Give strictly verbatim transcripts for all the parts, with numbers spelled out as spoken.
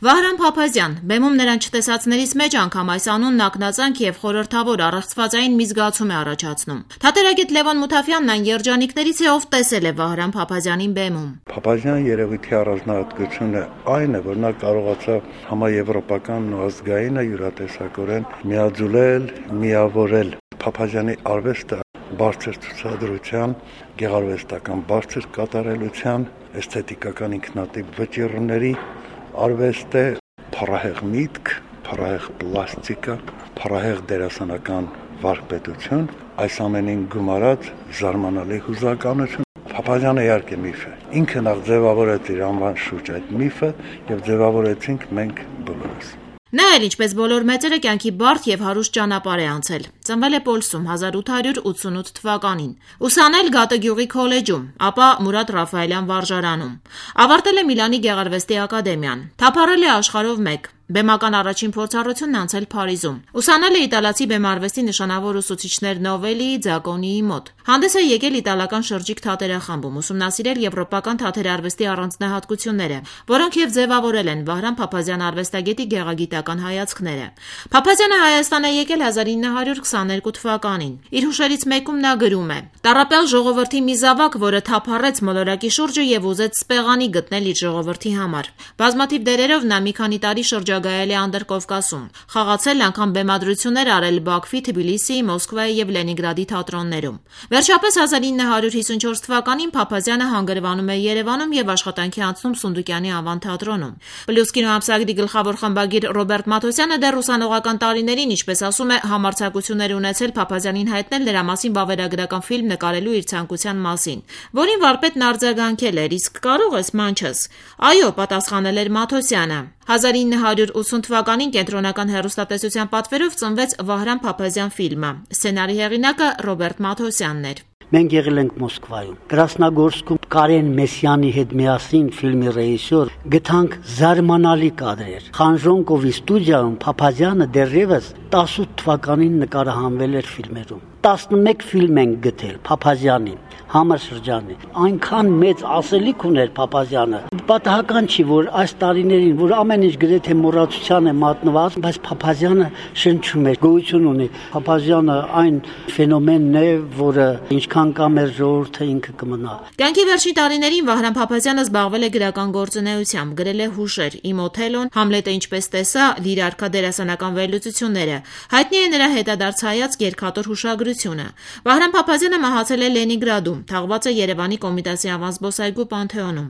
Վահրամ Փափազյան, բեմում նրան չտեսածներից մեջ անգամ այս անունն ակնածանք եւ խորհրդավոր առեղծվածային մի զգացում է առաջացնում։ Թատերագետ Լևոն Մութաֆյանն այն երջանիկներից է, ով տեսել է Վահրամ Փափազյանին բեմում։ Փափազյան երևույթի առանձնահատկությունը այն է, որ նա կարողացավ համաեվրոպական ու ազգայինը յուրատեսակորեն միաձուլել, միավորել։ Փափազյանի արվեստը բարձր ցուցադրության, գեղարվեստական բարձր կատարելության, էսթետիկական ինքնատիպ վճիռների արվեստ է, փառահեղ միտք, փառահեղ պլաստիկա, փառահեղ դերասանական վարպետություն, այս ամենին գումարած զարմանալի հուզականություն։ Փափազյանը իհարկե միֆ է։ Ինքը նախ ձևավորեց իր անվան շուրջ այդ միֆը եւ ձևավորեցինք մենք բոլորս։ Նա էլ ինչպես բոլոր մեծերը կյանքի բարդ եւ հարուստ ճանապարհ է անցել։ Ծնվել է Պոլսում հազար ութ հարյուր ութսունութ թվականին։ Ուսանել Գատագյուղի քոլեջում, ապա Մուրադ Ռաֆայելյան վարժարանում։ Ավարտել է Միլանի Գեղարվեստի ակադեմիան։ Թափառել է աշխարհով մեկ։ Բեմական առաջին փորձառությունն անցել Փարիզում։ Ուսանել է իտալացի բեմարվեստի նշանավոր ուսուցիչներ Նովելիի, Ձակոնիի մոտ։ Հանդես է եկել իտալական շրջիկ թատերախմբում, ուսումնասիրել եվրոպական թատերարվեստի առանձնահատկությունները, որոնք եւ ձևավորել են Վահրամ Փափազյան արվեստագետի գեղագիտական հայացքները։ Փափազյանը Հայաստան է եկել հազար ինը հարյուր քսաներկու թվականին։ Իր հուշերից մեկում նա գրում է. «Տառապյալ ժողովրդի մի զավակ, որը թափառեց մոլորակի շուրջը եւ ուզեց սպեղանի գտնել իր ժողովրդի համար։ Բազմաթիվ դերերով նա մի քանի տարի շրջագայել է Անդրկովկասում, խաղացել անգամ բեմադրություններ արել Բաքվի, Թբիլիսիի, Մոսկվայի եւ Լենինգրադի թատրոններում։ Վերջապես հազար ինը հարյուր հիսունչորս թվականին Փափազյանը հանգրվանում է Երևանում եւ աշխատանքի անցնում Սունդուկյանի անվան թատրոնում։ Պլյուս կինոամսագրի գլխավոր խմբագիր Ռոբերտ Մաթոսյանը դեռ ուսանողական տարիներին, ինչպես ասում է, համարձակություններ ունեցել Փափազյանին հայտնել նրա մասին վավերագրական ֆիլմ նկարելու իր ցանկության մասին, որին վարպետն արձագանքել էր. «Իսկ կարող ես մանչս»։ «Այո», պատասխանել էր Մաթոսյանը։ հազար ինը հարյուր ութսուն թվականին կենտրոնական հեռուստատեսության պատվերով ծնվեց Վահրամ Փափազյան ֆիլմը։ Սցենարի հեղինակը Ռոբերտ Մաթոսյանն էր։ Մենք եղել ենք Մոսկվայում, Կրասնագորսկում Կարեն Մեսյանի հետ միասին ֆիլմի ռեժիսոր գտանք զարմանալի կադրեր։ Խանժոնկովի ստուդիայում Փափազյանը դեռևս տասնութ թվականին նկարահանվել էր ֆիլմերում։ տասնմեկ ֆիլմ ենք գտել Փափազյանի համաշրջանի։ Այնքան մեծ ասելիք ուներ Փափազյանը։ Պատահական չի, որ այս տարիներին, որ ամեն ինչ գրեթե մոռացության է մատնված, բայց Փափազյանը շնչում է, գոյություն ունի։ Փափազյանը այն ֆենոմենն է, որը ինչքան կա մեր ժողովուրդը ինքը կմնա։ Կյանքի վերջին տարիներին Վահրամ Փափազյանը զբաղվել է գրական գործունեությամբ, գրել է հուշեր՝ Իմ Օթելոն, Համլետը ինչպես տեսա, լիրարքա դերասանական վերլուծությունները։ Հայտնի է նրա հետադարձ հայացք երկաթոր հուշագրությունը։ Վահրամ Փափազյանը մահացել է Լենինգրադում, թաղված է Երևանի Կոմիտասի անվան զբոսայգու Պանթեոնում։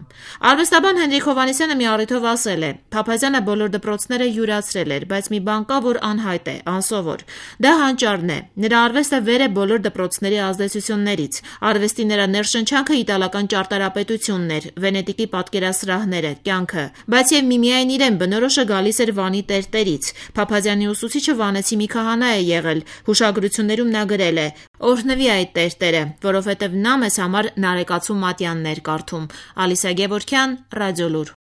Արվեստաբան Հենրիկ Հովհաննիսյանը մի առիթով ասել է. «Փափազյանը բոլոր դպրոցները յուրացրել էր, բայց մի բան կա, որ անհայտ է, անսովոր։ Դա հանճարն է։ Նրա արվեստը վեր է բոլոր դպրոցների ազդեցություններից։ Արվեստի նրա ներշնչանքը իտալական ճարտարապետությունն էր, Վենետիկի պատկերասրահները, կյանքը։ Բայց եւ միմիայն իրեն բնորոշը գալիս էր Վանի տերտերից։ Փափազյանի ուսուցիչը վանեցի մի քահանա է եղել։ Հուշագրություններում նա գրել է. «Օրհնվի այդ տերտերը, որովհետև նա մեզ համար Նարեկացու Մատյանն էր կարդում»։ Ալիսա Գևորգյան, Ռադիոլուր։